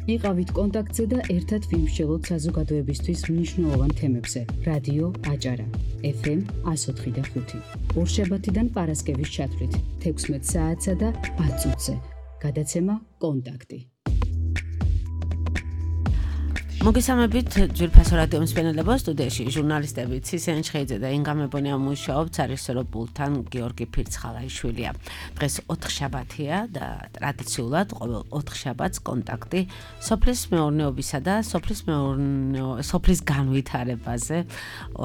იყავით კონტაქტზე და ერთად ვიმსჯელოთ საზოგადოებისთვის მნიშვნელოვან თემებზე. რადიო აჭარა, FM 104.5. ორშაბათიდან პარასკევის ჩათვლით 16 საათსა და 10 წუთზე. გადაცემა კონტაქტი. მოგესალმებით ძვირფასო რადიო მსმენელებო, სტუდიაში ჟურნალისტები ცისენ ჩხეიძე და ინგა მებონია მუშაობთ სარესურო პულტთან გიორგი ფირცხალაიშვილია. დღეს 4 შაბათია და ტრადიციულად ყოველ 4 შაბათს კონტაქტი სოფლის მეურნეობისა და სოფლის განვითარებაზე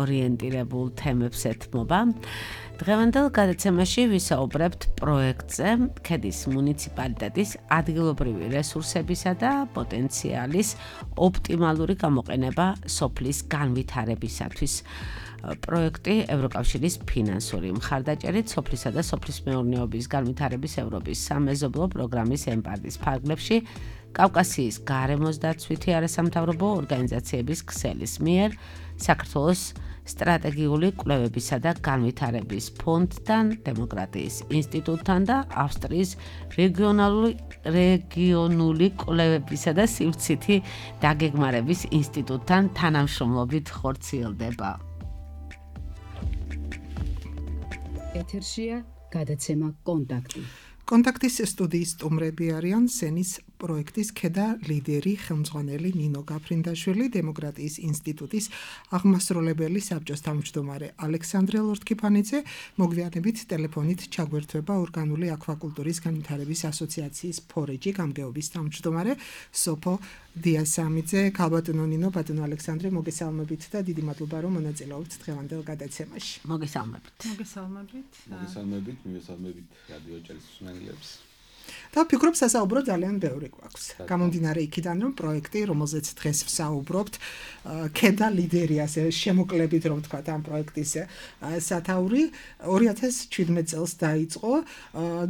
ორიენტირებულ თემებს ეთმობა. დღევანდელ გადაცემაში ვისაუბრებთ პროექტზე ქედის მუნიციპალიტეტის ადგილობრივი რესურსებისა და პოტენციალის ოპტიმალური გამოყენება სოფლის განვითარებისათვის. პროექტი ევროკავშირის ფინანსური მხარდაჭერით სოფლისა და სოფლის მეურნეობის განვითარების ევროპის სამეზობლო პროგრამის ემპარდის ფარგლებში კავკასიის გარემოსდაცვითი არასამთავრობო ორგანიზაციების ქსელის მიერ საქართველოს სტრატეგიული კვლევებისა და განვითარების ფონდთან, დემოკრატიის ინსტიტუტთან და ავსტრიის რეგიონული კვლევებისა და სივრცითი დაგეგმარების ინსტიტუტთან თანამშრომლობით ხორციელდება. ეთერშია გადაცემა კონტაქტი. კონტაქტის სტუდიის სტუმრები არიან სენის პროექტის ქედა ლიდერი ხელმძღვანელი ნინო გაფრინდაშვილი, დემოკრატიის ინსტიტუტის აღმასრულებელი საბჭოს თავმჯდომარე ალექსანდრე ლორთქიფანიძე, მოგვიანებით ტელეფონით ჩაგვერთვება ორგანული აქვაკულტურის განვითარების ასოციაციის ფორეჯი გამგეობის თავმჯდომარე სოფო დიასამიძე. ქალბატონო ნინო, ბატონო ალექსანდრე, მოგესალმებით და დიდი მადლობა რომ მონაწილეობთ დღევანდელ გადაცემაში. მოგესალმებით. მივესალმებით რადიო აჭარის მსმენელებს. და ვფიქრობ სასაუბრო ძალიან ბევრი გვაქვს. გამომდინარე იქიდან რომ პროექტი, რომელზეც დღეს ვსაუბრობთ, ქედა ლიდერი ასე შემოკლებით რომ თქვა ამ პროექტის სათაური 2017 წელს დაიწყო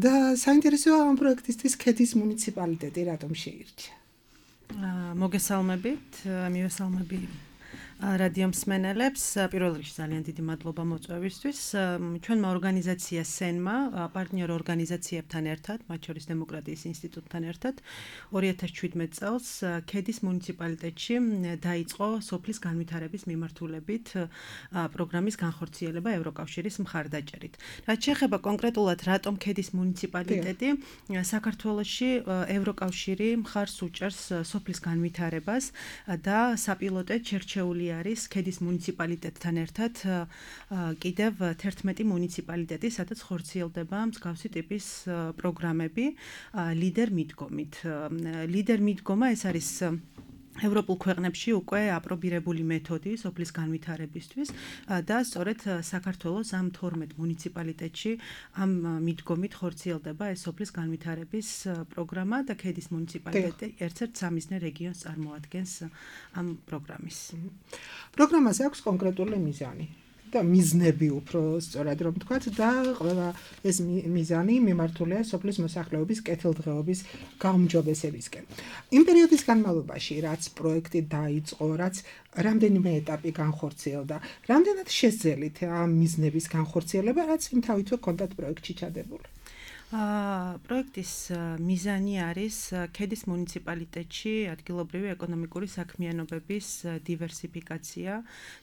და საინტერესოა ამ პროექტისთვის ქედის მუნიციპალიტეტი რატომ შეირჩა. მოგესალმებით, მივესალმები რადიო მსმენელებს. პირველ რიგში ძალიან დიდი მადლობა მოწვევისთვის. ჩვენმა ორგანიზაცია სენმა პარტნიორ ორგანიზაციებთან ერთად, მათ შორის დემოკრატიის ინსტიტუტთან ერთად 2017 წელს ქედის მუნიციპალიტეტში დაიწყო სოფლის განვითარების მიმართულებით პროგრამის განხორციელება ევროკავშირის მხარდაჭერით. რაც შეეხება კონკრეტულად რატომ ქედის მუნიციპალიტეტი, საქართველოში ევროკავშირი მხარს უჭერს სოფლის განვითარებას და საპილოტოდ შერჩეული არის ქედის მუნიციპალიტეტთან ერთად კიდევ 11 მუნიციპალიტეტი, სადაც ხორციელდება მსგავსი ტიპის პროგრამები ლიდერ მიდგომით. ლიდერ მიდგომა ეს არის ევროპულ ქვეყნებში უკვე აპრობირებული მეთოდი სოფლის განვითარებისთვის და სწორედ საქართველოს ამ 12 მუნიციპალიტეტში ამ მიდგომით ხორციელდება ეს სოფლის განვითარების პროგრამა და ქედის მუნიციპალიტეტი ერთ-ერთ სამიზნე რეგიონს წარმოადგენს ამ პროგრამის. პროგრამაზე აქვს კონკრეტული მიზანი და მიზნები უფრო სწორად რომ თქვათ და ყველა ეს მიზანი მიმართულია სოფლის მოსახლეობის კეთილდღეობის გაუმჯობესებისკენ. იმ პერიოდის განმავლობაში, რაც პროექტი დაიწყო, რაც რამდენიმე ეტაპი განხორციელდა, რამდენად შესძელით ამ მიზნების განხორციელება, რაც იმთავითვე კონდათ პროექტში ჩადებული. პროექტის მიზანი არის ქედის მუნიციპალიტეტში ადგილობრივი ეკონომიკური საქმიანობების დივერსიფიკაცია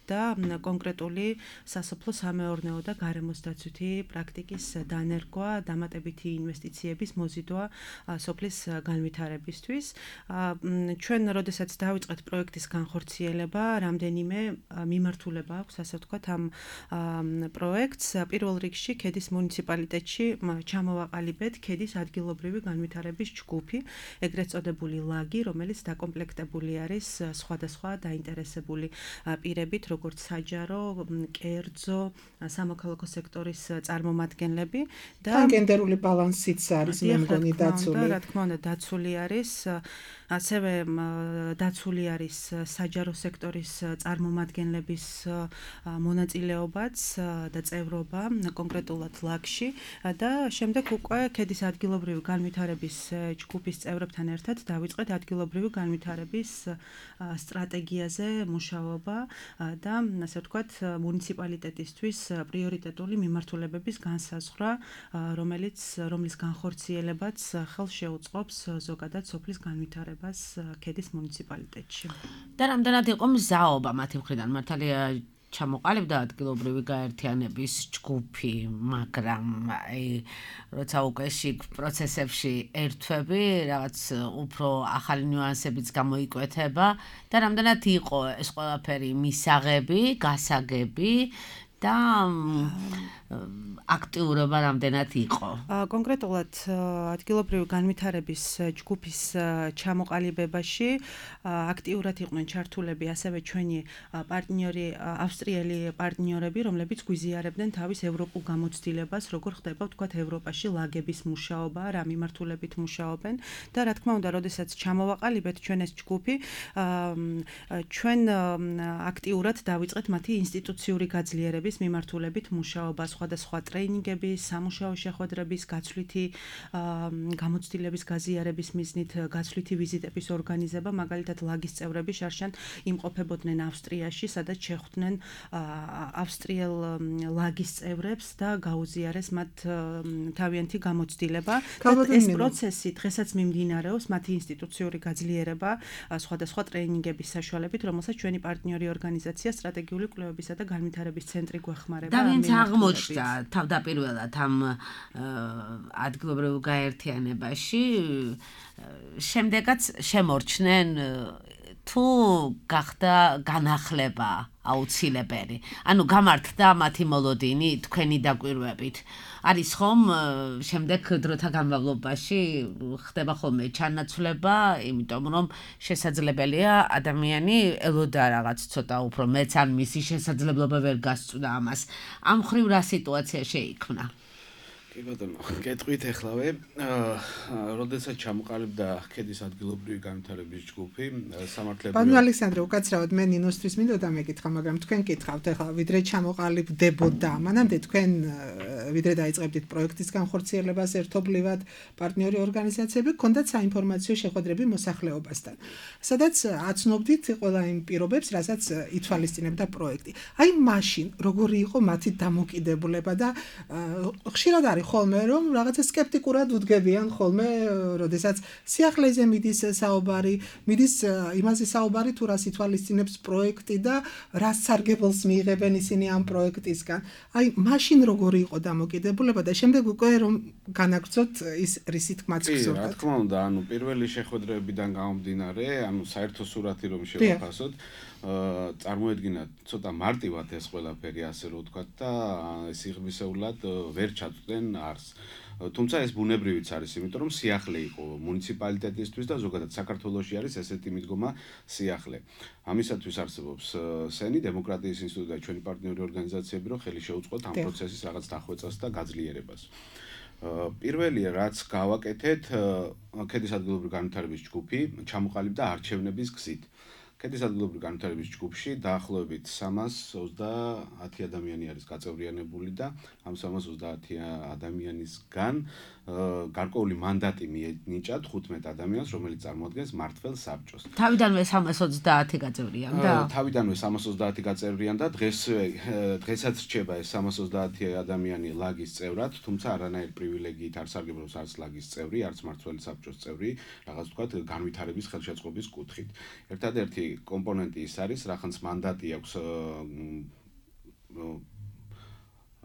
და კონკრეტული სასოფლო-სამეურნეო და გარემოსდაცვითი პრაქტიკის დანერგვა, დამატებითი ინვესტიციების მოზიდვა სოფლის განვითარებისთვის. ჩვენ როდესაც დავიწყეთ პროექტის განხორციელება, რამდენიმე მიმართულება აქვს, ასე ვთქვათ, ამ პროექტს. პირველ რიგში ქედის მუნიციპალიტეტში ჩამოვაყალიბეთ ქედის ადგილობრივი განვითარების ჯგუფი, ეგრეთ წოდებული ლაგი, რომელიც დაკომპლექტებული არის სხვადასხვა დაინტერესებული პირებით, როგორც საჯარო, კერძო, სამოქალაქო სექტორის წარმომადგენლები და გენდერული ბალანსიც არის მე მგონი დაცული. რა თქმა უნდა, დაცული არის, ასევე დაცული არის საჯარო სექტორის წარმომადგენლების მონაწილეობაც და წევრობა კონკრეტულად ლაგში და შემდეგ უკვე ქედის ადგილობრივი განვითარების ჯგუფის წევრებთან ერთად დავიწყეთ ადგილობრივი განვითარების სტრატეგიაზე მუშაობა და ასე ვთქვათ მუნიციპალიტეტისთვის პრიორიტეტული მიმართულებების განსაზღვრა, რომლის განხორციელებაც ხელს შეუწყობს ზოგადად სოფლის განვითარებას. განვითარებას ქედის მუნიციპალიტეტში. და რამდენად იყო მზაობა მათი მხრიდან მართალია ჩამოყალიბდა ადგილობრივი გაერთიანების ჯგუფი, მაგრამ როცა უკვე შიგ პროცესებში ერთვები, რაღაც უფრო ახალი ნიუანსებიც გამოიკვეთება და რამდენად იყო ეს ყველაფერი მისაღები, გასაგები და აქტიურობა რამდენად იყო. კონკრეტულად ადგილობრივი განვითარების ჯგუფის ჩამოყალიბებაში აქტიურად იყვნენ ჩართულები ასევე ჩვენი პარტნიორი ავსტრიელი პარტნიორები, რომლებიც გვიზიარებდნენ თავის ევროპულ გამოცდილებას, როგორ ხდება ვთქვათ ევროპაში ლაგების მუშაობა, რა მიმართულებით მუშაობენ და რა თქმა უნდა, როდესაც ჩამოვაყალიბეთ ჩვენ ეს ჯგუფი, ჩვენ აქტიურად დავიწყეთ მათი ინსტიტუციური გაძლიერების მიმართულებით მუშაობა, სხვადასხვა ტრეინინგების, სამუშაო შეხვედრების, გაცვლითი გამოცდილების გაზიარების მიზნით გაცვლითი ვიზიტების ორგანიზება, მაგალითად ლაგის წევრები შარშან იმყოფებოდნენ ავსტრიაში, სადაც შეხვდნენ ავსტრიელ ლაგის წევრებს და გაუზიარეს მათ თავიანთი გამოცდილება. ეს პროცესი დღესაც მიმდინარეობს, მათი ინსტიტუციური გაძლიერება სხვადასხვა ტრეინინგების საშუალებით, რომელსაც ჩვენი პარტნიორი ორგანიზაცია სტრატეგიული კვლევებისა და განვითარების ცენტრი გვეხმარება. და ვინც აღმოჩნდა თავდაპირველად ამ ადგილობრივ გაერთიანებაში, შემდეგაც შემორჩნენ თუ გახდა განახლება აუცილებელი. ანუ გამართდა მათი მოლოდინი თქვენი დაკვირვებით. არის ხომ შემდეგ დროთა განმავლობაში ხდება ხოლმე ჩანაცვლება, იმიტომ რომ შესაძლებელია ადამიანი ელოდა რაღაც ცოტა უფრო მეც ან მისი შესაძლებლობა ვერ გასწვდა ამას. ამ ხრივ რა სიტუაცია შეიქმნა? კი ბატონო, გეტყვით ახლავე, როდესაც ჩამოყალიბდა ქედის ადგილობრივი განვითარების ჯგუფი, სამართლებრივი ბატონო ალექსანდრე, უკაცრავად მე ნინოსთვის მინდოდა მეკითხა, მაგრამ თქვენ კითხავთ ახლა, ვიდრე ჩამოყალიბდებოდა, მანამდე თქვენ ვიდრე დაიწყებდით პროექტის განხორციელებას ერთობლივად პარტნიორი ორგანიზაციები, გქონდათ საინფორმაციო შეხვედრები მოსახლეობასთან, სადაც აცნობდით ყველა იმ პირობებს, რასაც ითვალისწინებდა პროექტი. აი მაშინ როგორი იყო მათი დამოკიდებულება და ხშირად არის ხოლმე რომ რაღაცა სკეპტიკურად უდგებიან ხოლმე, როდესაც სიახლეზე მიდის საუბარი, მიდის იმაზე საუბარი თუ რას ითვალისწინებს პროექტი და რას სარგებელს მიიღებენ ისინი ამ პროექტისგან. აი მაშინ როგორი იყო დამოკიდებულება და შემდეგ უკვე რომ განაგრძოთ ის რისი თქმაც გზობთ. რა თქმა უნდა, ანუ პირველი შეხვედრებიდან გამომდინარე, ანუ საერთო სურათი რომ შევაფასოთ, წარმოედგინა ცოტა მარტივად ეს ყველაფერი ასე რომ ვთქვათ და სიღრმისეულად ვერ ჩაწვდნენ არს. თუმცა ეს ბუნებრივიც არის, იმიტომ რომ სიახლე იყო მუნიციპალიტეტისთვის და ზოგადად საქართველოში არის ესეთი მიდგომა სიახლე. ამისათვის არსებობს სენი დემოკრატიის ინსტიტუტი და ჩვენი პარტნიორი ორგანიზაციები, რომ ხელი შეუწყოთ ამ პროცესის რაღაც დახვეწას და გაძლიერებას. პირველი რაც გავაკეთეთ, ქედის ადგილობრივი განვითარების ჯგუფი ჩამოყალიბდა არჩევნების გზით. ქედის ადგილობრივი განვითარების ჯგუფში დაახლოებით 330 ადამიანი არის გაწევრიანებული და ამ 330 ადამიანისგან გარკვეული მანდატი მიენიჭა 15 ადამიანს, რომელიც წარმოადგენს მმართველ საბჭოს. თავიდანვე 330 გაწევრიანდა? თავიდანვე 330 გაწევრიანდა, დღესაც რჩება ეს 330 ადამიანი ლაგის წევრად, თუმცა არანაირ პრივილეგიით არ სარგებლობს არც ლაგის წევრი, არც მმართველი საბჭოს წევრი, რაღაც ვთქვათ, განვითარების ხელშეწყობის კუთხით. ერთადერთი კომპონენტი ის არის, რახანს მანდატი აქვს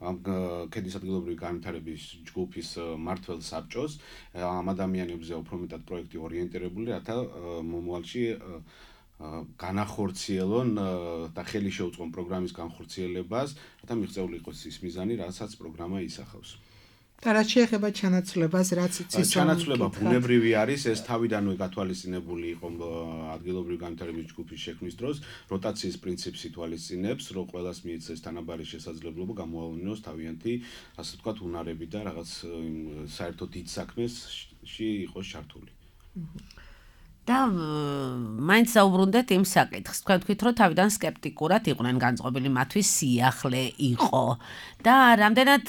ამ ქედის ადგილობრივი განვითარების ჯგუფის მმართველ საბჭოს, ამ ადამიანებზე უფრო მეტად პროექტი ორიენტირებული, რათა მომავალში განახორციელონ და ხელი შეუწყონ პროგრამის განხორციელებას, რათა მიღწეული იყოს ის მიზანი, რასაც პროგრამა ისახავს. და რაც შეეხება ჩანაცვლებას, რაც იცის ჩანაცვლება ბუნებრივი არის, ეს თავიდანვე გათვალისწინებული იყო ადგილობრივი განვითარების ჯგუფის შექმნის დროს, როტაციის პრინციპს ითვალისწინებს, რომ ყველას მიეცეს თანაბარი შესაძლებლობა გამოავლინოს თავიანთი, ასე ვთქვათ, უნარები და რაღაც საერთო დიდ საქმეში იყოს ჩართული. და მაინც საუბრუნდეთ იმ საკითხს. თქვენ თქვით, რომ თავიდან სკეპტიკურად იყვნენ განწყობილი, მათთვის სიახლე იყო და რამდენად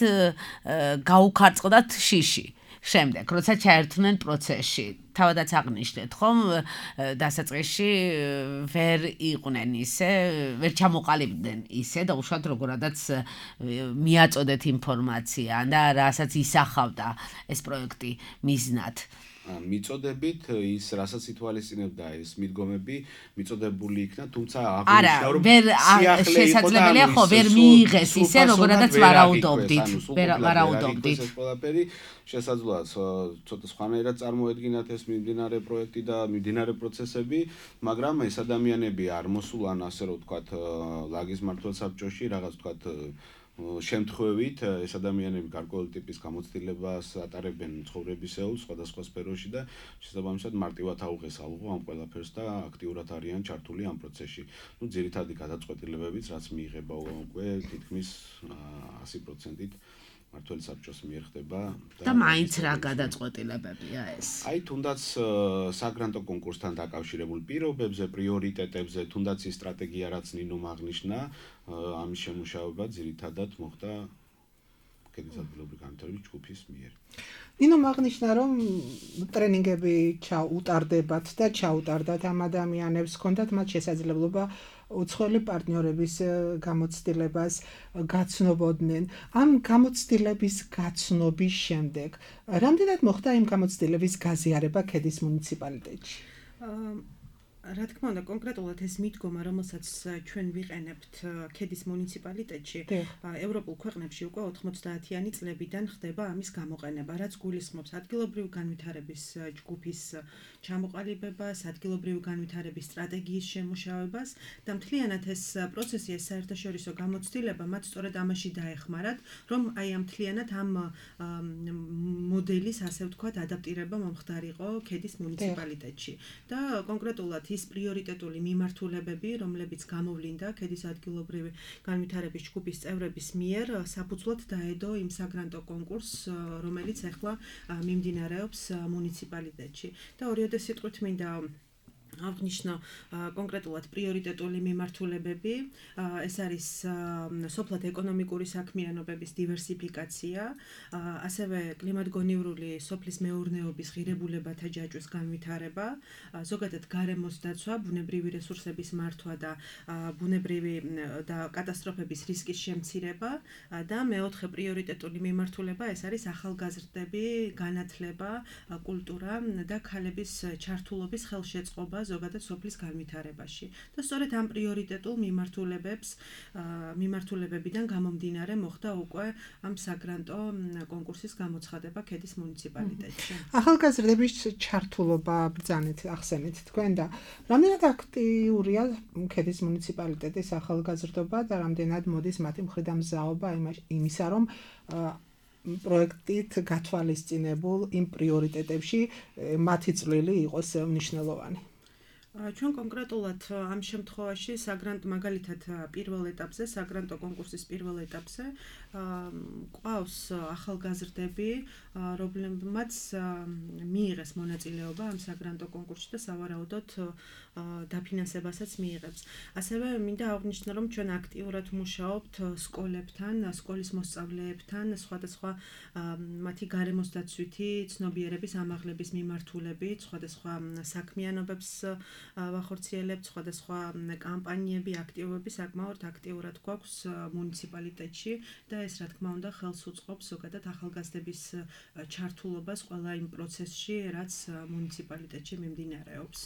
გაუქარწყდათ შიში. შემდეგ, როცა ჩაერთვნენ პროცესში, თავადაც აღნიშნეთ, ხომ, დასაწყისში ვერ იყვნენ ისე, ვერ ჩამოყალიბდნენ ისე და უშუალოდ როგორადაც მიაწოდეთ ინფორმაცია და რასაც ისახავდა ეს პროექტი მიზნად. მიწოდებით ის რასაც ითვალისწინებდა ეს მიდგომები მიწოდებული იქნა, თუმცა არა, ვერ შესაძლებელია ხო ვერ მიიღეს ისე როგორადაც ვარაუდობდით. ვარაუდობდით. ეს ყველაფერი შესაძლოა ცოტა სხვანაირად წარმოედგინათ ეს მიმდინარე პროექტი და მიმდინარე პროცესები, მაგრამ ეს ადამიანები არ მოსულან ასე რომ ვთქვათ ლაგის მმართველ საბჭოში რაღაც ვთქვათ შემთხვევით ეს ადამიანები გარკვეული ტიპის გამოცდილებას ატარებენ ცხოვრებისეულ სხვადასხვა სფეროში და შესაბამისად მარტივად აუღეს ალღო ამ ყველაფერს და აქტიურად არიან ჩართული ამ პროცესში. ნუ ძირითადი გადაწყვეტილებებიც რაც მიიღება უკვე თითქმის 100%-ით მმართველ საბჭოს მიერ ხდება და მაინც რა გადაწყვეტილებებია ეს? აი თუნდაც საგრანტო კონკურსთან დაკავშირებულ პირობებზე, პრიორიტეტებზე, თუნდაც ის სტრატეგია რაც ნინომ აღნიშნა, ამის შემუშავება ძირითადად მოხდა ქედის ადგილობრივი განვითარების ჯგუფის მიერ. ნინომ აღნიშნა რომ ტრენინგები ჩაუტარდებათ და ჩაუტარდათ ამ ადამიანებს, ჰქონდათ მათ შესაძლებლობა უცხოელი პარტნიორების გამოცდილებას გაცნობოდნენ. ამ გამოცდილების გაცნობის შემდეგ რამდენად მოხდა იმ გამოცდილების გაზიარება ქედის მუნიციპალიტეტში? რა თქმა უნდა, კონკრეტულად ეს მიდგომა, რომელსაც ჩვენ ვიყენებთ ქედის მუნიციპალიტეტში, ევროპულ ქვეყნებში უკვე 90-იანი წლებიდან ხდება ამის გამოყენება, რაც გულისხმობს ადგილობრივი განვითარების ჯგუფის ჩამოყალიბებას, ადგილობრივი განვითარების სტრატეგიის შემუშავებას და მთლიანად ეს პროცესი, ეს საერთაშორისო გამოცდილება მათ სწორედ ამაში დაეხმარათ, რომ აი ამ მთლიანად ამ მოდელის, ასე ვთქვათ, ადაპტირება მომხდარიყო ქედის მუნიციპალიტეტში და კონკრეტულად ის პრიორიტეტული მიმართულებები, რომლებიც გამოვლინდა ქედის ადგილობრივი განვითარების ჯგუფის წევრების მიერ, საფუძვლად დაედო იმ საგრანტო კონკურსს, რომელიც ახლა მიმდინარეობს მუნიციპალიტეტში. და ორიოდე სიტყვით მინდა აღნიშნო კონკრეტულად პრიორიტეტული მიმართულებები, ეს არის სოფლად ეკონომიკური საქმიანობების დივერსიფიკაცია, ასევე კლიმატგონივრული სოფლის მეურნეობის ღირებულებათა ჯაჭვის განვითარება, ზოგადად გარემოს დაცვა, ბუნებრივი რესურსების მართვა და ბუნებრივი და კატასტროფების რისკის შემცირება და მეოთხე პრიორიტეტული მიმართულება ეს არის ახალგაზრდები, განათლება, კულტურა და ქალების ჩართულობის ხელშეწყობა ზოგადად სოფლის განვითარებაში. და სწორედ ამ პრიორიტეტულ მიმართულებებიდან გამომდინარე მოხდა უკვე ამ საგრანტო კონკურსის გამოცხადება ქედის მუნიციპალიტეტში. ახალგაზრდების ჩართულობა ბრძანეთ, ახსენეთ თქვენ და რამდენად აქტიურია ქედის მუნიციპალიტეტის ახალგაზრდობა და რამდენად მოდის მათი მხრიდან მზაობა იმისა, რომ პროექტით გათვალისწინებულ იმ პრიორიტეტებში მათი წვლილი იყოს მნიშვნელოვანი. ჩვენ კონკრეტულად ამ შემთხვევაში საგრანტო მაგალითად პირველ ეტაპზე, საგრანტო კონკურსის პირველ ეტაპზე ყავს ახალგაზრდები, რომლებმაც მიიღეს მონაწილეობა ამ საგრანტო კონკურსში და სავარაუდოდ დაფინანსებასაც მიიღებს. ასევე მინდა აღვნიშნო, რომ ჩვენ აქტიურად მუშაობთ სკოლებთან, სკოლის მოსწავლეებთან, სხვადასხვა მათი გარემოს დაცვითი ცნობიერების ამაღლების მიმართულებით, სხვადასხვა საქმიანობებს ვახორციელებთ, სხვადასხვა კამპანიები, აქტივობები საკმაოდ აქტიურად გვაქვს მუნიციპალიტეტში და ეს რა თქმა უნდა ხელს უწყობს ზოგადად ახალგაზრდების ჩართულობას ყველა იმ პროცესში, რაც მუნიციპალიტეტში მიმდინარეობს.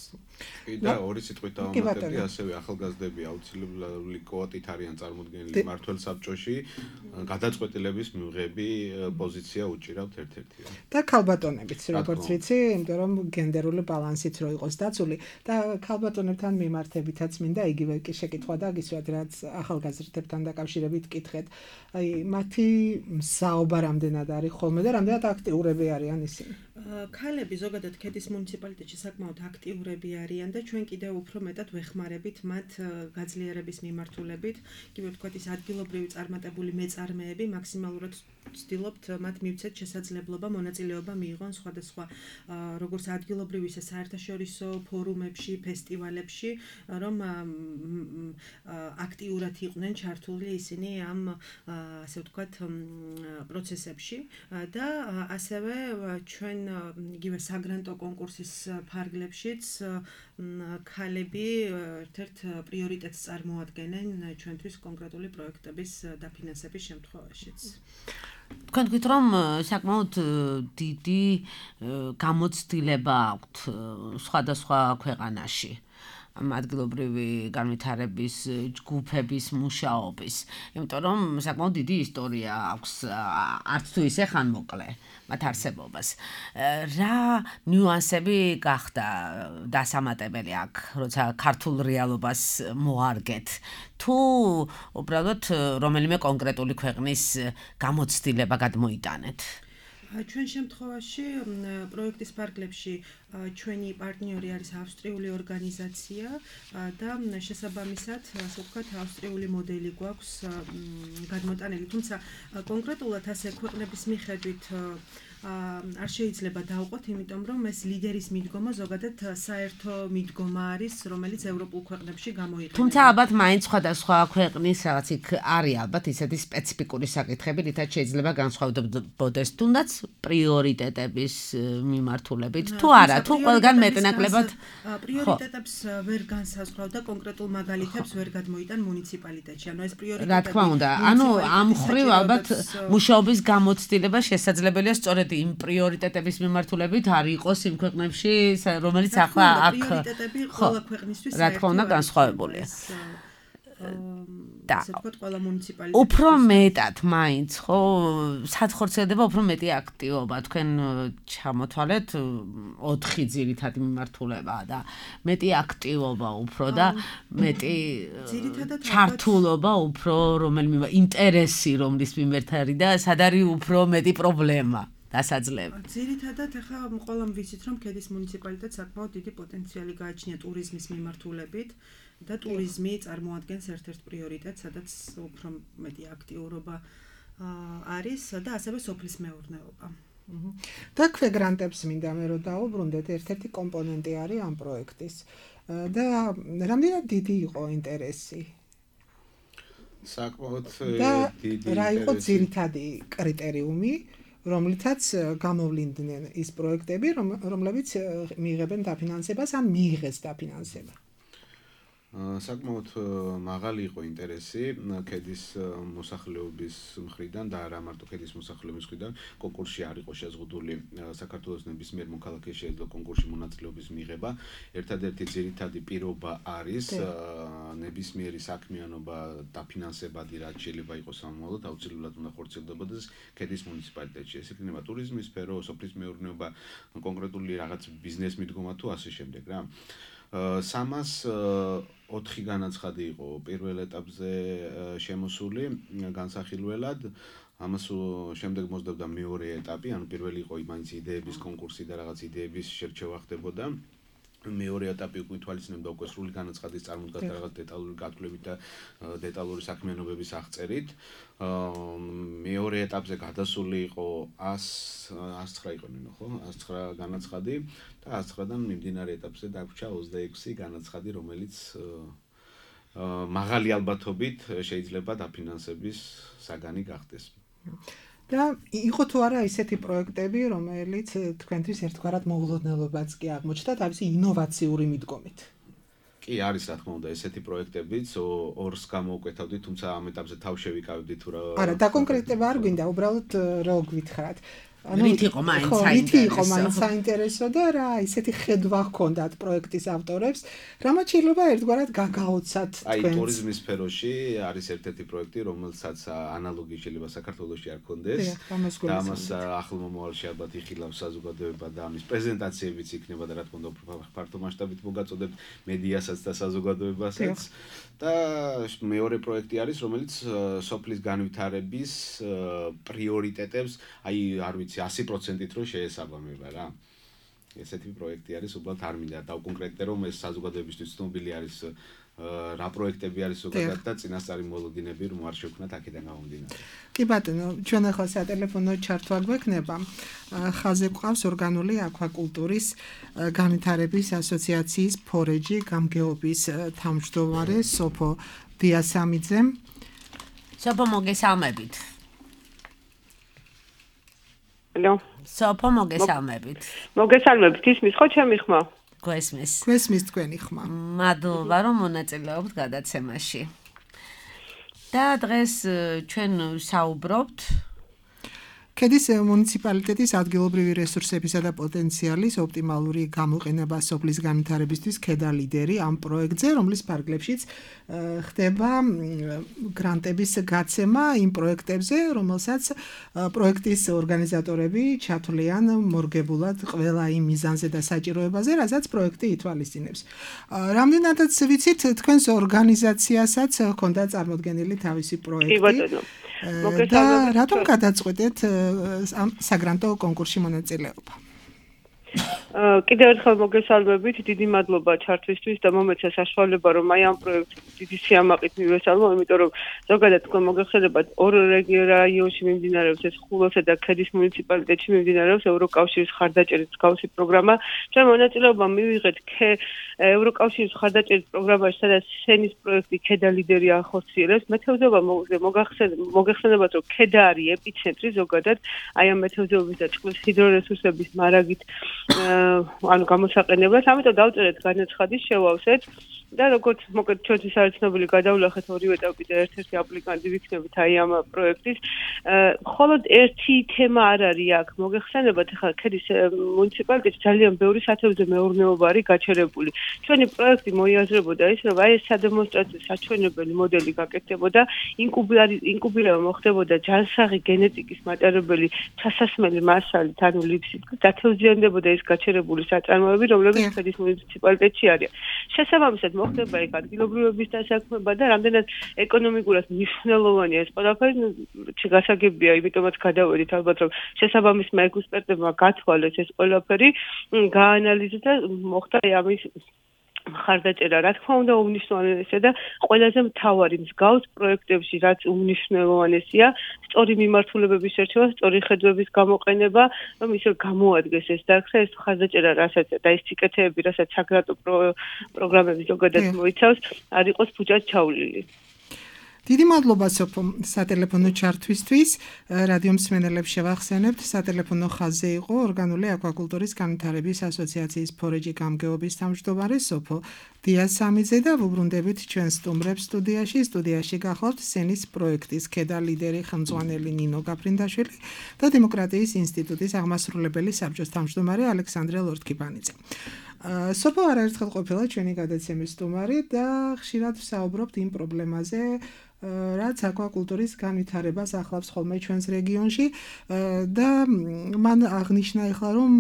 და ორი სიტყვით დავამატებდი, ასევე ახალგაზრდები აუცილებლად კვოტით არიან წარმოდგენილი მმართველ საბჭოში, გადაწყვეტილების მიღები პოზიცია უჭირავთ ერთ-ერთია. და ქალბატონებიც, როგორც ვიცი, იმიტომ რომ გენდერული ბალანსიც რო იყოს დაცული და ქალბატონებთან მიმართებითაც მინდა იგივე შეკითხვა და გისვათ, რაც ახალგაზრდებთან დაკავშირებით კითხეთ. აი, მათი მსაობა რამდენად არის ხოლმე და რამდენად აქტიურები არიან ისინი? ქალები ზოგადად ქედის მუნიციპალიტეტში საკმაოდ აქტიურები არიან და ჩვენ კიდევ უფრო მეტად ვეხმარებით მათ გაძლიერების მიმართულებით. იგივე ვთქვათ, ის ადგილობრივი წარმატებული მეწარმეები მაქსიმალურად ვცდილობთ მათ მივცეთ შესაძლებლობა მონაწილეობა მიიღონ სხვადასხვა როგორც ადგილობრივი ისე საერთაშორისო ფორუმებში, ფესტივალებში, რომ აქტიურად იყვნენ ჩართული ისინი ამ ასე ვთქვათ პროცესებში და ასევე ჩვენ იგივე საგრანტო კონკურსის ფარგლებშიც ქალები ერთ-ერთ პრიორიტეტს წარმოადგენენ ჩვენთვის კონკრეტული პროექტების დაფინანსების შემთხვევაშიც. თქვენ თქვით რომ საკმაოდ დიდი გამოცდილება აქვთ სხვადასხვა ქვეყანაში ადგილობრივი განვითარების ჯგუფების მუშაობის, იმიტომ რომ საკმაოდ დიდი ისტორია აქვს არც თუ ისე ხანმოკლე მათ არსებობას. რა ნიუანსები გახდა დასამატებელი აქ, როცა ქართულ რეალობას მოარგეთ, თუ უბრალოდ რომელიმე კონკრეტული ქვეყნის გამოცდილება გადმოიტანეთ? ჩვენ შემთხვევაში პროექტის ფარგლებში ჩვენი პარტნიორი არის ავსტრიული ორგანიზაცია და შესაბამისად, ასე ვთქვათ, ავსტრიული მოდელი გვაქვს გადმოტანილი, თუმცა კონკრეტულად ასე ქვეყნების მიხედვით არ შეიძლება დავყოთ, იმიტომ რომ ეს ლიდერის მიდგომა ზოგადად საერთო მიდგომა არის, რომელიც ევროპულ ქვეყნებში გამოიყენება. თუმცა ალბათ მაინც სხვადასხვა ქვეყნის რაღაც იქ არის ალბათ ისეთი სპეციფიკური საკითხები, რითაც შეიძლება განსხვავდებოდეს თუნდაც პრიორიტეტების მიმართულებით. თუ არა, თუ ყველგან მეტნაკლებად პრიორიტეტებს ვერ განსაზღვრავდა კონკრეტულ მაგალითებს ვერ გადმოიტან მუნიციპალიტეტში. ანუ ეს პრიორიტეტები რა თქმა უნდა, ანუ ამ მხრივ ალბათ მუშაობის გამოცდილება შესაძლებელია სწორედ იმ პრიორიტეტების მიმართულებით არ იყოს იმ ქვეყნებში, რომელიც ახლა აქ პრიორიტეტები ყველა ქვეყნისთვის რა თქმა უნდა განსხვავებულია. და ყველა მუნიციპალიტეტი უფრო მეტად მაინც ხო სათხორცელდება უფრო მეტი აქტივობა თქვენ ჩამოთვალეთ 4 ძირითადი მიმართულება და მეტი აქტივობა უფრო და მეტი ჩართულობა უფრო რომელიმე ინტერესი რომლის მიმართ არის და სად არის უფრო მეტი პრობლემა დასაძლევი. ძირითადად ახლა ყველამ ვიცით რომ ქედის მუნიციპალიტეტს საკმაოდ დიდი პოტენციალი გააჩნია ტურიზმის მიმართულებით და ტურიზმი წარმოადგენს ერთ-ერთ პრიორიტეტს, სადაც უფრო მეტი აქტიურობა არის და ასევე სოფლის მეურნეობა. და ქვეგრანტებს მინდა მე რომ დაუბრუნდეთ, ერთ-ერთი კომპონენტი არის ამ პროექტის და რამდენად დიდი იყო ინტერესი? საკმაოდ დიდი. რა იყო ძირითადი კრიტერიუმი, რომლითაც გამოვლინდნენ ის პროექტები, რომლებიც მიიღებენ დაფინანსებას ან მიიღეს დაფინანსება? საკმაოდ მაღალი იყო ინტერესი ქედის მოსახლეობის მხრიდან და არა მარტო ქედის მოსახლეობის მხრიდან. კონკურსში არ იყო შეზღუდული საქართველოს ნებისმიერ მოქალაქეს შეიძლება კონკურსში მონაწილეობის მიღება. ერთადერთი ძირითადი პირობა არის ნებისმიერი საქმიანობა დაფინანსებადი, რაც შეიძლება იყოს სამომავლოდ, აუცილებლად უნდა ხორციელდებოდეს ქედის მუნიციპალიტეტში. ეს იქნება ტურიზმის სფერო, სოფლის მეურნეობა, კონკრეტული რაღაც ბიზნეს მიდგომა თუ ასე შემდეგ რა. 304 განაცხადი იყო პირველ ეტაპზე შემოსული განსახილველად. ამას შემდეგ მოსდევდა მეორე ეტაპი, ანუ პირველი იყო მაინც იდეების კონკურსი და რაღაც იდეების შერჩევა ხდებოდა. მეორე ეტაპი უკვე ითვალისწინებდა უკვე სრული განაცხადის წარმოდგას და რაღაც დეტალური გათვლებით და დეტალური საქმიანობების აღწერით. მეორე ეტაპზე გადასული იყო 109 იყო ნინო, ხო? 109 განაცხადი და 109-დან მიმდინარე ეტაპზე დაგვრჩა 26 განაცხადი, რომელიც მაღალი ალბათობით შეიძლება დაფინანსების საგანი გახდეს. და იყო თუ არა ისეთი პროექტები, რომელიც თქვენთვის ერთგვარად მოულოდნელობაც კი აღმოჩნდა თავისი ინოვაციური მიდგომით? კი, არის რა თქმა უნდა ესეთი პროექტებიც, ორს გამოვკვეთავდით, თუმცა ამ ეტაპზე თავ შევიკავებდით თუ რა. არა, დაკონკრეტება არ გვინდა, უბრალოდ რო გვითხრათ. რით იყო მაინც საინტერესო და რა ისეთი ხედვა ჰქონდათ პროექტის ავტორებს, რამაც შეიძლება ერთგვარად გაგაოცათ თქვენს. აი ტურიზმის სფეროში არის ერთ-ერთი პროექტი, რომელსაც ანალოგი შეიძლება საქართველოში არ ქონდეს. და ამას ახლო მომავალში ალბათ იხილავს საზოგადოება და ამის პრეზენტაციებიც იქნება და რა თქმა უნდა ფართო მასშტაბით მოგაწოდებთ მედიასაც და საზოგადოებასაც. და მეორე პროექტი არის, რომელიც სოფლის განვითარების პრიორიტეტებს, აი არ ვიცი 100%-ით რო შეესაბამება რა. ესეთი პროექტი არის, უბრალოდ არ მინდა დავკონკრეტდე, რომ ეს საზოგადოებისთვის ცნობილი არის რა პროექტები არის ზოგადად და წინასწარი მოლოდინები რომ არ შევქნათ აქედან გამომდინარე. კი ბატონო, ჩვენ ახლა სატელეფონო ჩართვა გვექნება. ხაზზე გვყავს ორგანული აკვაკულტურის განვითარების ასოციაციის ფორეჯი გამგეობის თავმჯდომარე სოფო დიასამიძე. სოფო მოგესალმებით. ალო. სოფო მოგესალმებით. მოგესალმებით, ისმის ხო ჩემი ხმა? გვესმის თქვენი ხმა. მადლობა რომ მონაწილეობთ გადაცემაში. და დღეს ჩვენ საუბრობთ ქედის მუნიციპალიტეტის ადგილობრივი რესურსებისა და პოტენციალის ოპტიმალური გამოყენება სოფლის განვითარებისთვის ქედა ლიდერი ამ პროექტზე, რომლის ფარგლებშიც ხდება გრანტების გაცემა იმ პროექტებზე, რომელსაც პროექტის ორგანიზატორები ჩათვლიან მორგებულად ყველა იმ მიზანზე და საჭიროებაზე, რასაც პროექტი ითვალისწინებს. რამდენადაც ვიცით, თქვენს ორგანიზაციასაც ჰქონდა წარმოდგენილი თავისი პროექტი. და რატომ გადაწყვეტეთ ამ საგრანტო კონკურსში მონაწილეობა? კიდევ ერთხელ მოგესალმებით, დიდი მადლობა ჩართვისთვის და მომეცა საშუალება რომ აი ამ პროექტს დიდი სიამაყით მივესალმო, იმიტომ რომ ზოგადად თქვენ მოგეხსენებათ ორ რაიონში მიმდინარეობს ეს ხულოსა და ქედის მუნიციპალიტეტში მიმდინარეობს ევროკავშირის ხარდაჭერის მსგავსი პროგრამა. ჩვენ მონაწილეობა მივიღეთ ევროკავშირის ხარდაჭერის პროგრამაში, სადაც სენის პროექტი ქედა ლიდერი ახორციელებს. მეთევზეობა მოგეხსენებათ, რომ ქედა არის ეპიცენტრი ზოგადად აი ამ მეთევზეობის და წყლის ჰიდრორესურსების მარაგით ანუ გამოსაყენებლად, ამიტომ დავწერეთ განაცხადი, შევავსეთ და როგორც მოკლედ ჩვენთვის არის ცნობილი, გადავლახეთ ორივე ეტაპი და ერთ-ერთი აპლიკანტი ვიქნებით აი ამ პროექტის. მხოლოდ ერთი თემა არ არის აქ. მოგეხსენებათ, ახლა ქედის მუნიციპალიტეტში ძალიან ბევრი სათევზე მეურნეობა არის გაჩერებული. ჩვენი პროექტი მოიაზრებოდა ის, რომ აი ეს სადემონსტრაციო საჩვენებელი მოდელი გაკეთდებოდა, ინკუბირება მოხდებოდა ჯანსაღი გენეტიკის მატარებელი ჩასასმელი მასალით, ანუ ლიფსით, გათევზიანდებოდა ეს გაჩერებული საწარმოები, რომლებიც ქედის მუნიციპალიტეტში არის. შესაბამისად მოხდება იქ ადგილობრივების დასაქმება და რამდენად ეკონომიკურად მნიშვნელოვანია ეს ყველაფერი, გასაგებია, იმიტომაც გადავედით ალბათ, რომ შესაბამის მეექსპერტებმა გათვალეს ეს ყველაფერი, გაანალიზეს და მოხდა ამის ხარდაჭერა. რა თქმა უნდა, უმნიშვნელოვანესია და ყველაზე მთავარი მსგავს პროექტებში, რაც უმნიშვნელოვანესია, სწორი მიმართულებების შერჩევა, სწორი ხედვების გამოყენება, რომ ისე გამოადგეს ეს დარგსა, ეს ხარდაჭერა, რასაც და ეს სიკეთეები, რასაც საგრანტო პროგრამები ზოგადად მოიცავს, არ იყოს ფუჭად ჩავლილი. დიდი მადლობა სოფო სატელეფონო ჩართვისთვის. რადიო მსმენელებს შევახსენებთ, სატელეფონო ხაზზე იყო ორგანული აკვაკულტურის განვითარების ასოციაციის ფორეჯი გამგეობის თავმჯდომარე სოფო დიასამიძე და ვუბრუნდებით ჩვენ სტუმრებს სტუდიაში გახლავთ სენის პროექტის ქედა ლიდერი ხელმძღვანელი ნინო გაფრინდაშვილი და დემოკრატიის ინსტიტუტის აღმასრულებელი საბჭოს თავმჯდომარე ალექსანდრე ლორთქიფანიძე. სოფო არაერთხელ ყოფილა ჩვენი გადაცემის სტუმარი და ხშირად ვსაუბრობთ იმ პრობლემაზე, რაც აკვაკულტურის განვითარებას ახლავს ხოლმე ჩვენს რეგიონში და მან აღნიშნა ახლა რომ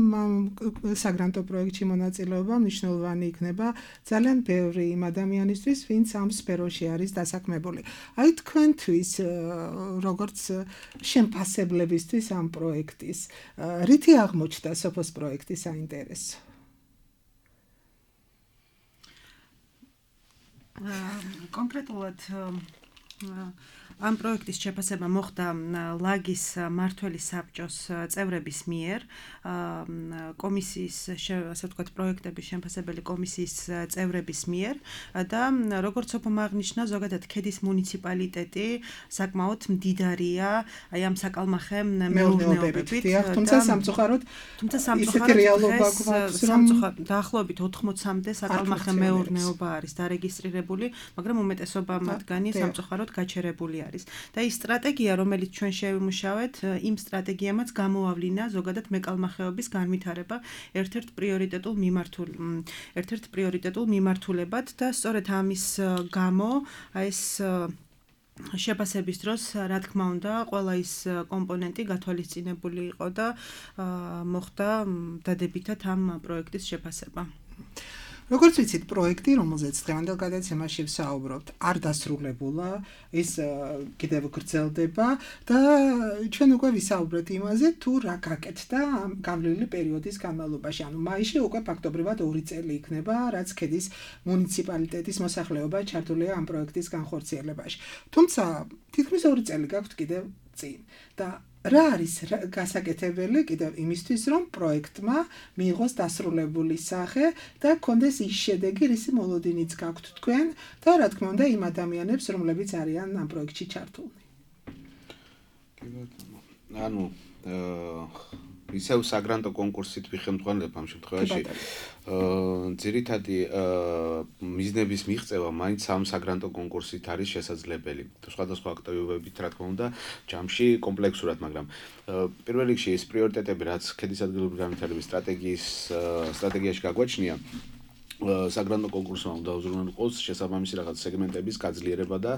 საგრანტო პროექტში მონაწილეობა მნიშვნელოვანი იქნება ძალიან ბევრი იმ ადამიანისთვის, ვინც ამ სფეროში არის დასაქმებული. აი თქვენთვის როგორც შემფასებლებისთვის ამ პროექტის რითი აღმოჩნდა სოფოს პროექტის საინტერესო? კონკრეტულად ამ პროექტის შეფასება მოხდა ლაგის მმართველი საბჭოს წევრების მიერ, კომისიის, ასე ვთქვათ, პროექტების შემფასებელი კომისიის წევრების მიერ და როგორც სოფომ აღნიშნა, ზოგადად ქედის მუნიციპალიტეტი საკმაოდ მდიდარია აი ამ საკალმახე მეურნეობებით, თუმცა სამწუხაროდ რეალობა გვაქვს, რომ დაახლოებით 80-მდე საკალმახე მეურნეობა არის დარეგისტრირებული, მაგრამ უმეტესობა მათგანი სამწუხაროდ გაჩერებული არის. და ის სტრატეგია, რომელიც ჩვენ შევიმუშავეთ, იმ სტრატეგიამაც გამოავლინა ზოგადად მეკალმახეობის განვითარება ერთ-ერთ პრიორიტეტულ მიმართულებად და სწორედ ამის გამო ეს შეფასების დროს, რა თქმა უნდა, ყველა ის კომპონენტი გათვალისწინებული იყო და მოხდა დადებითად ამ პროექტის შეფასება. როგორც ვიცით, პროექტი, რომელზეც დღევანდელ გადაცემაში ვსაუბრობთ, არ დასრულებულა, ის კიდევ გრძელდება და ჩვენ უკვე ვისაუბრეთ იმაზე, თუ რა გაკეთდა ამ გავლილი პერიოდის განმავლობაში. ანუ მაისში უკვე ფაქტობრივად 2 წელი იქნება, რაც ქედის მუნიციპალიტეტის მოსახლეობა ჩართულია ამ პროექტის განხორციელებაში. თუმცა, თითქმის 2 წელი გაქვთ კიდევ წინ და რა არის გასაკეთებელი კიდევ იმისთვის, რომ პროექტმა მიიღოს დასრულებული სახე და კონდეს ის შედეგი, რისი მოლოდინიც გაქვთ თქვენ და რა თქმა უნდა იმ ადამიანებს, რომლებიც არიან ამ პროექტში ჩართულნი. ანუ ისევ საგრანტო კონკურსით ვიხელმძღვანელებ ამ შემთხვევაში. ძირითადი მიზნების მიღწევა მაინც ამ საგრანტო კონკურსით არის შესაძლებელი. სხვადასხვა აქტივობებით, რა თქმა უნდა, ჯამში კომპლექსურად, მაგრამ პირველ რიგში ეს პრიორიტეტები, რაც ქედის ადგილობრივი განვითარების სტრატეგიაში გაგვაჩნია, საგრანტო კონკურსმა უნდა უზრუნველყოს შესაბამისი რაღაც სეგმენტების გაძლიერება და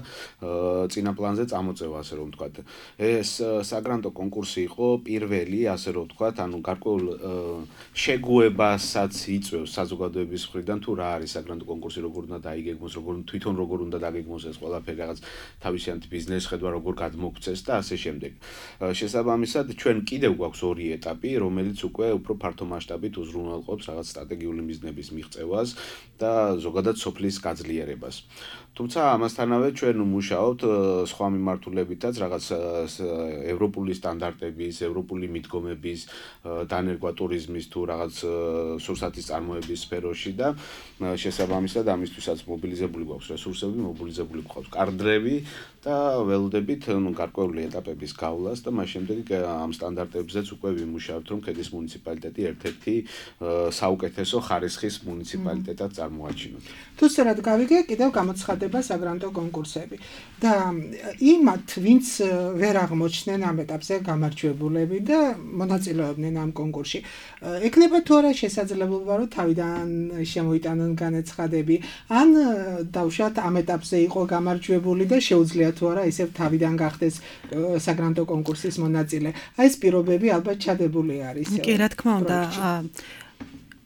წინა პლანზე წამოწევა, ასე რომ ვთქვათ. ეს საგრანტო კონკურსი იყო პირველი, ასე რომ ვთქვათ, ანუ გარკვეულ შეგუებასაც იწვევს საზოგადოების მხრიდან, თუ რა არის საგრანტო კონკურსი, როგორ უნდა დაიგეგმოს, თვითონ როგორ უნდა დაგეგმოს ეს ყველაფერი, რაღაც თავისიანთი ბიზნეს ხედვა როგორ გადმოგვცეს და ასე შემდეგ. შესაბამისად, ჩვენ კიდევ გვაქვს ორი ეტაპი, რომელიც უკვე უფრო ფართო მასშტაბით უზრუნველყოფს რაღაც სტრატეგიული მიზნების მიღწევას და ზოგადად სოფლის გაძლიერებას. თუმცა ამასთანავე ჩვენ ვმუშაობთ სხვა მიმართულებითაც, რაღაც ევროპული სტანდარტების, ევროპული მიდგომების, დანერგვა ტურიზმის თუ რაღაც სურსათის წარმოების სფეროში და შესაბამისად ამისთვისაც მობილიზებული გვაქვს რესურსები, მობილიზებული გვაქვს კადრები და ველოდებით გარკვეული ეტაპების გავლას და მას შემდეგ ამ სტანდარტებზეც უკვე ვიმუშავებთ, რომ ქედის მუნიციპალიტეტი ერთ-ერთი საუკეთესო ხარისხის მუნიციპალიტეტად წარმოაჩინოთ. თუ სწორად გავიგე, კიდევ გამოცხადება საგრანტო კონკურსები და იმათ, ვინც ვერ აღმოჩნდნენ ამ ეტაპზე გამარჯვებულები და მონაწილეობდნენ ამ კონკურსში, ეკნება თუ არა შესაძლებლობა, რომ თავიდან შემოიტანონ განაცხადები, ან დავუშვათ ამ ეტაპზე იყო გამარჯვებული და შეუძლია თუ არა ისევ თავიდან გახდეს საგრანტო კონკურსის მონაწილე. აი ეს პირობები ალბათ ჩადებული არის. კი, რა თქმა უნდა,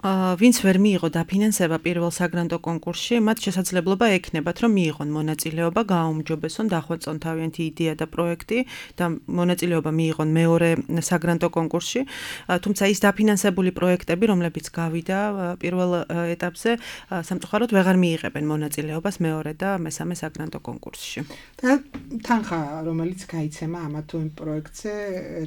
ვინც ვერ მიიღო დაფინანსება პირველ საგრანტო კონკურსში, მათ შესაძლებლობა ექნებათ, რომ მიიღონ მონაწილეობა, გააუმჯობესონ, დახვეწონ თავიანთი იდეა და პროექტი და მონაწილეობა მიიღონ მეორე საგრანტო კონკურსში. თუმცა ის დაფინანსებული პროექტები, რომლებიც გავიდა პირველ ეტაპზე, სამწუხაროდ ვეღარ მიიღებენ მონაწილეობას მეორე და მესამე საგრანტო კონკურსში. და თანხა, რომელიც გაიცემა ამა თუ იმ პროექტზე,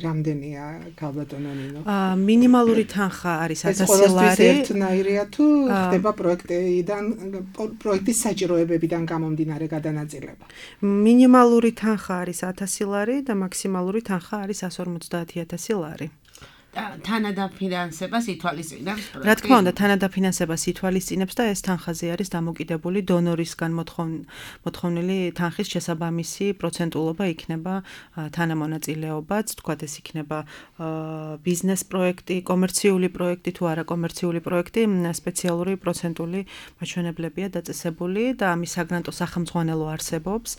რამდენია, ქალბატონო ნინო? მინიმალური თანხა არის 1000 ლარი. ერთნაირია თუ ხდება პროექტის საჭიროებებიდან გამომდინარე გადანაწილება. მინიმალური თანხა არის 1000 ლარი და მაქსიმალური თანხა არის 150.000 ლარი. თანადაფინანსებას ითვალისწინებს პროექტი. რა თქმა უნდა, თანადაფინანსებას ითვალისწინებს და ეს თანხაზე არის დამოკიდებული დონორისგან მოთხოვნილი თანხის შესაბამისი პროცენტულობა იქნება თანამონაწილეობაც, თქვათ ეს იქნება ბიზნეს პროექტი, კომერციული პროექტი თუ არაკომერციული პროექტი, სპეციალური პროცენტული მაჩვენებლებია დაწესებული და ამის საგრანტო სახელმძღვანელო არსებობს.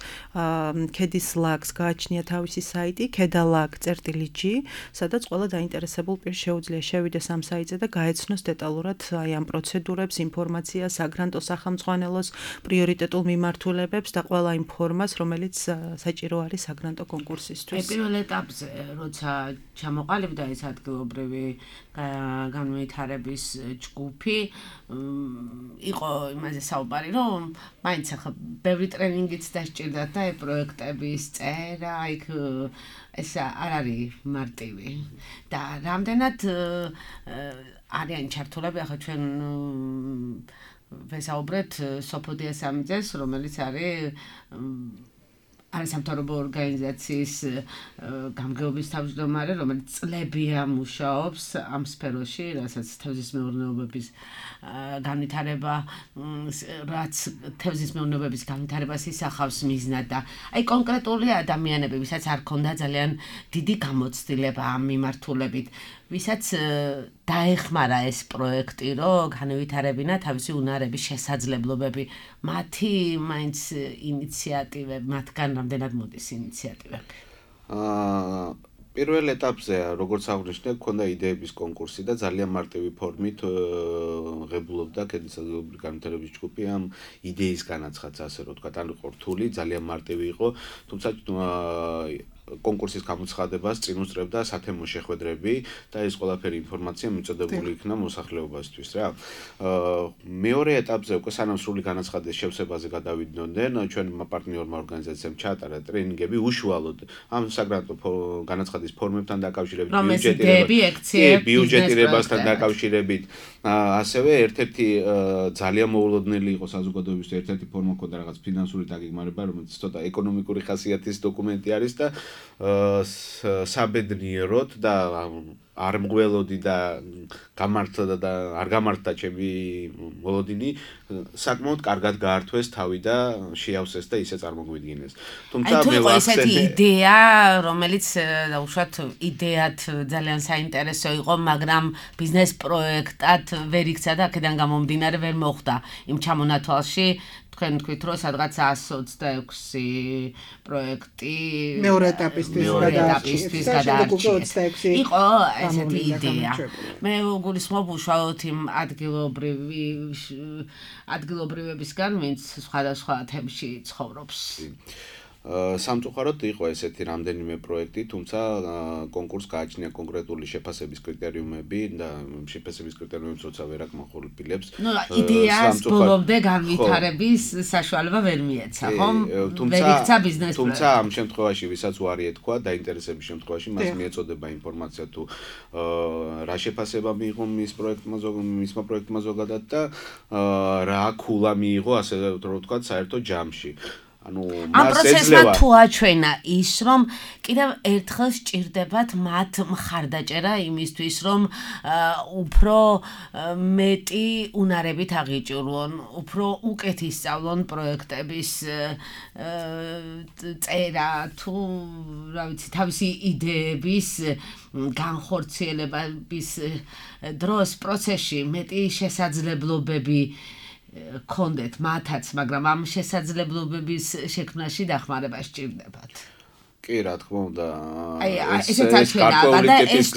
ქედის ლაგს გააჩნია თავისი საიტი kedalag.g, სადაც ყველა დაინტერესებული პირს შეუძლია შევიდეს ამ საიტზე და გაეცნოს დეტალურად აი ამ პროცედურებს, ინფორმაციას, საგრანტო სახელმძღვანელოს პრიორიტეტულ მიმართულებებს და ყველა იმ ფორმას, რომელიც საჭირო არის საგრანტო კონკურსისთვის. პირველ ეტაპზე, როცა ჩამოყალიბდა ეს ადგილობრივი განვითარების ჯგუფი, იყო იმაზე საუბარი, რომ მაინც ახლა ბევრი ტრენინგიც დასჭირდათ და პროექტების წერა, იქ ეს არ არის მარტივი და რამდენად არიან ჩართულები, ახლა ჩვენ ვესაუბრეთ სოფოდია სამიძეს, რომელიც არის არასამთავრობო ორგანიზაციის გამგეობის თავმჯდომარე, რომელიც წლებია მუშაობს ამ სფეროში, რასაც თევზის მეურნეობების განვითარება, რაც თევზის მეურნეობების განვითარებას ისახავს მიზნად და აი კონკრეტული ადამიანები, ვისაც არ ქონდა ძალიან დიდი გამოცდილება ამ მიმართულებით, ვისაც დაეხმარა ეს პროექტი, რომ განვითარებინა თავისი უნარების შესაძლებლობები, მათი მაინც ინიციატივები, მათგან რამდენად მოდის ინიციატივები? პირველ ეტაპზე, როგორც აღნიშნე, გქონდა იდეების კონკურსი და ძალიან მარტივი ფორმით ღებულობდა ქედის ადგილობრივი განვითარების ჯგუფი ამ იდეის განაცხადს, ასე რომ ვთქვათ, ან იყო რთული, ძალიან მარტივი იყო, თუმცა კონკურსის გამოცხადებას წინ უსწრებდა სათემო შეხვედრები და ეს ყველაფერი ინფორმაცია მიწოდებული იქნა მოსახლეობისთვის რა. მეორე ეტაპზე უკვე სანამ სრული განაცხადის შევსებაზე გადავიდნენ, ჩვენმა პარტნიორმა ორგანიზაციამ ჩაატარა ტრენინგები უშუალოდ ამ საგრანტო განაცხადის ფორმებთან დაკავშირებით, ბიუჯეტირებასთან დაკავშირებით, ასევე ერთ-ერთი ძალიან მოულოდნელი იყო საზოგადოებისთვის, ერთ-ერთი ფორმა ქონდა რაღაც ფინანსური დაგეგმარება, რომელიც ცოტა ეკონომიკური ხასიათის დოკუმენტი არის და საბედნიეროდ და არ მღველოდი და გამართდა და არ გამართდა ჩემი მოლოდინი, საკმაოდ კარგად გაართვეს თავი და შეავსეს და ისე წარმოგვიდგინეს. თუმცა მე ვახსენე იდეა, რომელიც უშუალოდ იდეათ ძალიან საინტერესო იყო, მაგრამ ბიზნეს პროექტად ვერ იქცა და აქედან გამომდინარე ვერ მოხდა იმ ჩამონათვალში. თქვენ თქვით, რომ სადღაც 126 პროექტი მეორე ეტაპისთვის გადაარჩიეს. იყო ესეთი იდეა. მე გულისხმობ უშუალოდ იმ ადგილობრივებისგან, ვინც სხვადასხვა თემში ცხოვრობს. სამწუხაროდ იყო ესეთი რამდენიმე პროექტი, თუმცა კონკურსს გააჩნია კონკრეტული შეფასების კრიტერიუმები და შეფასების კრიტერიუმებს როცა ვერ აკმაყოფილებს. იდეას ბოლომდე განვითარების საშუალება ვერ მიეცა, ხომ? ვერ იქცა ბიზნეს პროექტი. თუმცა ამ შემთხვევაში, ვისაც უარი ეთქვა დაინტერესების შემთხვევაში, მას მიეწოდება ინფორმაცია თუ რა შეფასება მიიღო მისმა პროექტმა ზოგადად და რა ქულა მიიღო, ასე რომ ვთქვათ, საერთო ჯამში. ამ პროცესმა თუ აჩვენა ის, რომ კიდევ ერთხელ სჭირდებათ მათ მხარდაჭერა იმისთვის, რომ უფრო მეტი უნარებით აღიჭურონ, უფრო უკეთ ისწავლონ პროექტების წერა თუ რა ვიცი, თავისი იდეების განხორციელების დროს პროცესში მეტი შესაძლებლობები კონდეთ მათაც, მაგრამ ამ შესაძლებლობების შექმნაში დახმარება სჭირდებათ. კი, რა თქმა უნდა. ესეც აჩვენა და ეს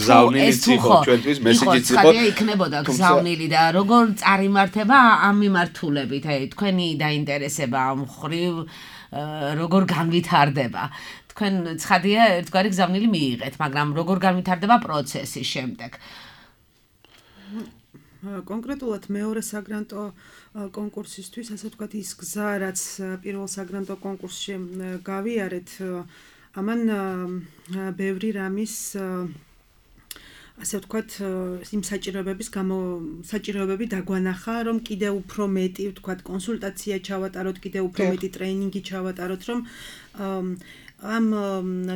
იყო ჩვენთვის მესეჯიც იყო. იქნებოდა გზავნილი და როგორ წარიმართება ამ მიმართულებით, თქვენი დაინტერესება ამ მხრივ როგორ განვითარდება. თქვენ ცხადია ერთგვარი გზავნილი მიიღეთ, მაგრამ როგორ განვითარდება პროცესი შემდეგ. კონკრეტულად მეორე საგრანტო კონკურსისთვის, ასე ვთქვათ, ის გზა, რაც პირველ საგრანტო კონკურსში გავიარეთ, ამან ბევრი რამის ასე ვთქვათ, იმ საჭიროებები დაგვანახა, რომ კიდევ უფრო მეტი, ვთქვათ, კონსულტაცია ჩავატაროთ, კიდევ უფრო მეტი ტრეინინგი ჩავატაროთ, რომ ამ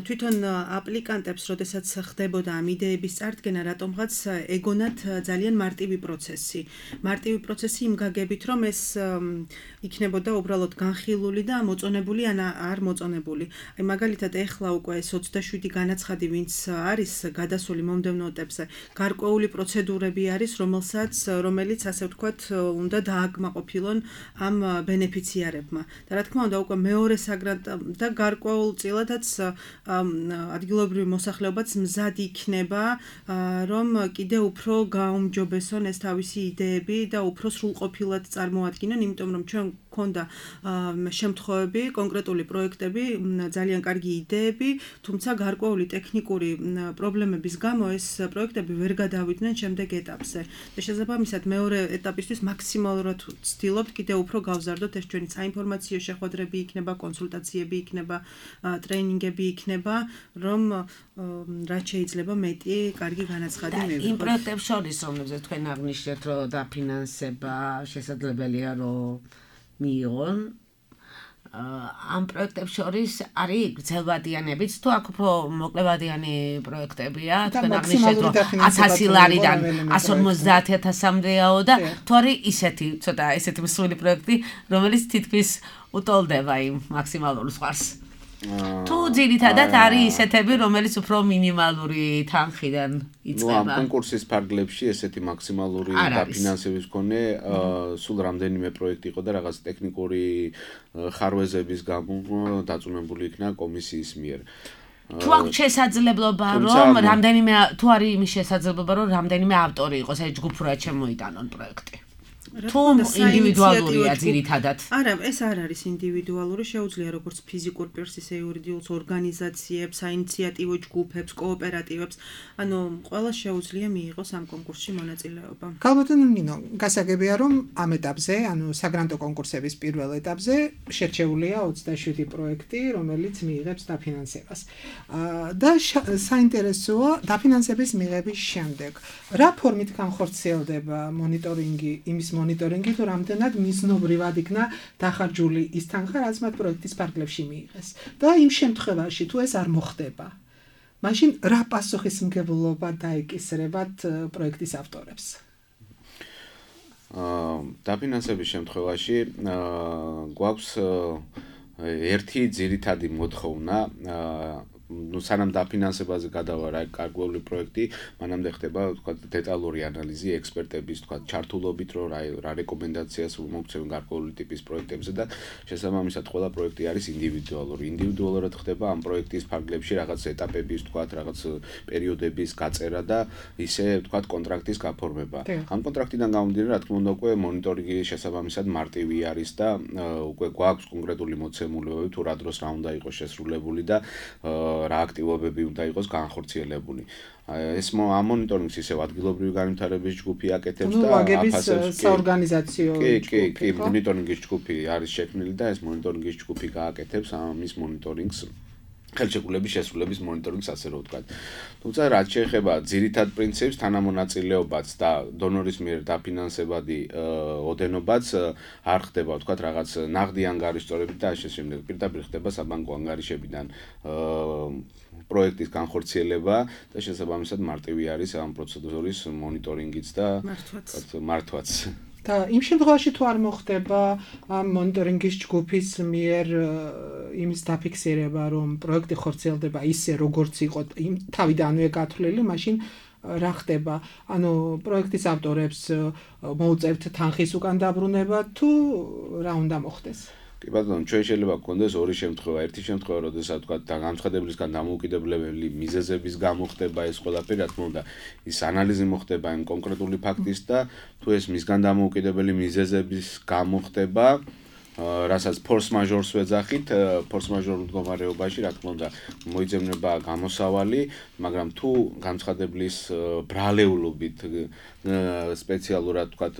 თვითონ აპლიკანტებს, როდესაც ხდებოდა ამ იდეების წარდგენა, რატომღაც ეგონათ ძალიან მარტივი პროცესი. მარტივი პროცესი იმ გაგებით, რომ ეს იქნებოდა უბრალოდ განხილული და მოწონებული ან არ მოწონებული. აი მაგალითად ეხლა უკვე ეს 27 განაცხადი, ვინც არის გადასული მომდევნო ეტაპზე, გარკვეული პროცედურები არის, რომელიც ასე ვთქვათ, უნდა დააკმაყოფილონ ამ ბენეფიციარებმა. და რა თქმა უნდა, უკვე მეორე საგრანტო და გარკვეულ წილადაც ადგილობრივი მოსახლეობაც მზად იქნება, რომ კიდევ უფრო გაუმჯობესონ ეს თავისი იდეები და უფრო სრულყოფილად წარმოადგინონ, იმიტომ რომ ჩვენ გქონდა შემთხვევები, კონკრეტული პროექტები, ძალიან კარგი იდეები, თუმცა გარკვეული ტექნიკური პრობლემების გამო ეს პროექტები ვერ გადავიდნენ შემდეგ ეტაპზე. და შესაბამისად მეორე ეტაპისთვის მაქსიმალურად ვცდილობთ კიდევ უფრო გავზარდოთ ეს ჩვენი საინფორმაციო შეხვედრები იქნება, კონსულტაციები იქნება, ტრეინინგები იქნება, რომ რაც შეიძლება მეტი კარგი განაცხადი მივიღოთ. იმ პროექტებს შორის, რომლებზეც თქვენ აღნიშნეთ, რომ დაფინანსება შესაძლებელია, რომ მიიღონ, ამ პროექტებს შორის არის გრძელვადიანებიც, თუ აქ უფრო მოკლევადიანი პროექტებია, თქვენ აღნიშნეთ, რომ 100 ლარიდან 150,000-მდეაო და თუ არის ისეთი, ცოტა ესეთი მსხვილი პროექტი, რომელიც თითქმის უტოლდება იმ მაქსიმალურ ზღვარს. თუ ძირითადად არის ისეთები, რომელიც უფრო მინიმალური თანხიდან იწყება. ამ კონკურსის ფარგლებში ესეთი მაქსიმალური დაფინანსების მქონე სულ რამდენიმე პროექტი იყო და რაღაც ტექნიკური ხარვეზების გამო დაწუნებული იქნა კომისიის მიერ. თუ აქვს შესაძლებლობა, რომ თუ არის იმის შესაძლებლობა, რომ რამდენიმე ავტორი იყოს, აი ჯგუფურად შემოიტანონ პროექტი. თუ ინდივიდუალურია ძირითადად. არა, ეს არ არის ინდივიდუალური, შეუძლია როგორც ფიზიკურ პირს, ისე იურიდიულ ორგანიზაციებს, საინიციატივო ჯგუფებს, კოოპერატივებს, ანუ ყველა შეუძლია მიიღოს ამ კონკურსში მონაწილეობა. გალბატონო ნინო, გასაგებია, რომ ამ ეტაპზე, ანუ საგრანტო კონკურსების პირველ ეტაპზე შერჩეულია 27 პროექტი, რომელიც მიიღებს დაფინანსებას. და საინტერესოა დაფინანსების მიღების შემდეგ, რა ფორმით განხორციელდება მონიტორინგი, იმის მონიტორინგი, თუ რამდენად მიზნობრივად იქნა დახარჯული ის თანხა, რაც მათ პროექტის ფარგლებში მიიღეს. და იმ შემთხვევაში, თუ ეს არ მოხდება, მაშინ რა პასუხისმგებლობა დაეკისრებათ პროექტის ავტორებს? დაფინანსების შემთხვევაში გვაქვს ერთი ძირითადი მოთხოვნა სანამ დაფინანსებაზე გადავა რა კარგული პროექტი, მანამდე ხდება თქვა დეტალური ანალიზი ექსპერტების თქვა ჩართულობით, რომ რა რეკომენდაციას მოგცემენ გარკვეული ტიპის პროექტებზე და შესაბამისად ყველა პროექტი არის ინდივიდუალური. ინდივიდუალურად ხდება ამ პროექტის ფარგლებში რაღაც ეტაპების, თქვა რაღაც პერიოდების გაწერა და ისე თქვა კონტრაქტის გაფორმება. ამ კონტრაქტიდან გამომდინარე, რა თქმა უნდა, უკვე მონიტორინგი შესაბამისად მარტივი არის და უკვე გვაქვს კონკრეტული მოცემულობები თუ რა დროს რა უნდა იყოს შესრულებული და რა აქტივობები უნდა იყოს განხორციელებული. ეს ამ მონიტორინგს ისევ ადგილობრივი განვითარების ჯგუფი აკეთებს და აფასებს საორგანიზაციო ჯგუფი. კი, მონიტორინგის ჯგუფი არის შექმნილი და ეს მონიტორინგის ჯგუფი გააკეთებს ამის მონიტორინგს. ხელშეკრულების შესრულების მონიტორინგს ასე რომ ვთქვათ. თუმცა რაც შეეხება ძირითად პრინციპს, თანამონაწილეობაც და დონორის მიერ დაფინანსებადი ოდენობაც არ ხდება, ვთქვათ, რაღაც ნაღდი ანგარიშწორებით და ასე შემდეგ. პირდაპირ ხდება საბანკო ანგარიშებიდან პროექტის განხორციელება და შესაბამისად მარტივი არის ამ პროცედურის მონიტორინგიც და მართვაც. და იმ შემთხვევაში თუ არ მოხდება ამ მონიტორინგის ჯგუფის მიერ იმის დაფიქსირება, რომ პროექტი ხორციელდება ისე, როგორც იყო თავიდანვე გათვლილი, მაშინ რა ხდება? ანუ პროექტის ავტორებს მოუწევთ თანხის უკან დაბრუნება თუ რა უნდა მოხდეს? კი ბატონო, ჩვენ შეიძლება გქონდეს ორი შემთხვევა. ერთი შემთხვევა, როდესაც თქვა განცხადებისგან დამოუკიდებლებელი მიზეზების გამო ხდება ეს ყველაფერი, რა თქმა უნდა, ის ანალიზი მოხდება იმ კონკრეტული ფაქტის და თუ ეს მისგან დამოუკიდებელი მიზეზების გამო ხდება, რასაც ფორს მაჟორს ვეძახით, ფორს მაჟორ მდგომარეობაში, რა თქმა უნდა, მოიძებნება გამოსავალი, მაგრამ თუ განცხადებლის ბრალეულობით სპეციალურად თქვათ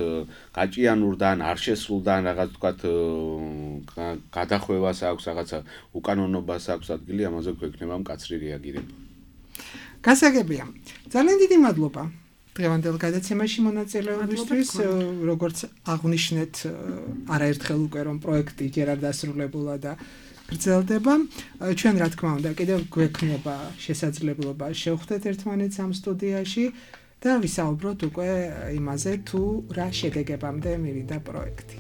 გაჭიანურდან, არ შესრულდან რაღაც თქვათ გადახვევას აქვს, რაღაცა უკანონობას აქვს ადგილი, ამაზე გვექნება მკაცრი რეაგირება. გასაგებია. ძალიან დიდი მადლობა. დღევანდელ გადაცემაში მონაწილეობისთვის, როგორც აღვნიშნეთ, არაერთხელ უკვე რომ პროექტი ჯერ არ დასრულებულა და გრძელდება. ჩვენ რა თქმა უნდა, კიდევ გვექნება შესაძლებლობა შევხვდეთ ერთმანეთს ამ სტუდიაში და ვისაუბროთ უკვე იმაზე, თუ რა შედეგებამდე მივიდა პროექტი.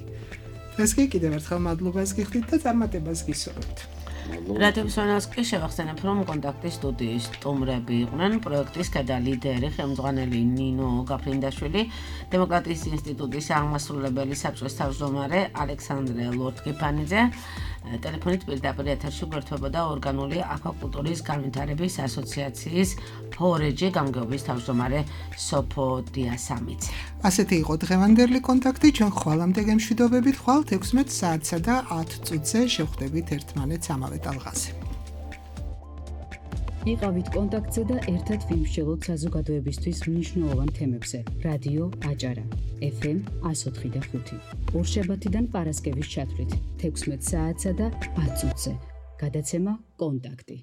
დღეს კი კიდევ ერთხელ მადლობას გიხდით და წარმატებას გისურვებთ. რადიომსმენელს კი შევახსენებ, რომ კონტაქტის სტუდიის სტუმრები იყვნენ პროექტის ქვედა ლიდერი, ხელმძღვანელი ნინო გაფრინდაშვილი, დემოკრატიის ინსტიტუტის აღმასრულებელი საბჭოს თავმჯდომარე ალექსანდრე ლორთგიფანიძე, ტელეფონით პირდაპირ ეთერში გვერდებოდა ორგანული აკვაკულტურის განვითარების ასოციაციის ფორეჯი გამგეობის თავმჯდომარე სოფო დიასამიძე. ასეთი იყო დღევანდელი კონტაქტი, ჩვენ ხვალამდე გემშვიდობებით, ხვალ 16 საათსა და 10 წუთზე შევხვდებით ერთმანეთს ამავე ტალღაზე. იყავით კონტაქტზე და ერთად ვიმსჯელოთ საზოგადოებისთვის მნიშვნელოვან თემებზე. რადიო აჭარა, FM 104.5. ორშაბათიდან პარასკევის ჩათვლით 16 საათსა და 10 წუთზე. გადაცემა კონტაქტი.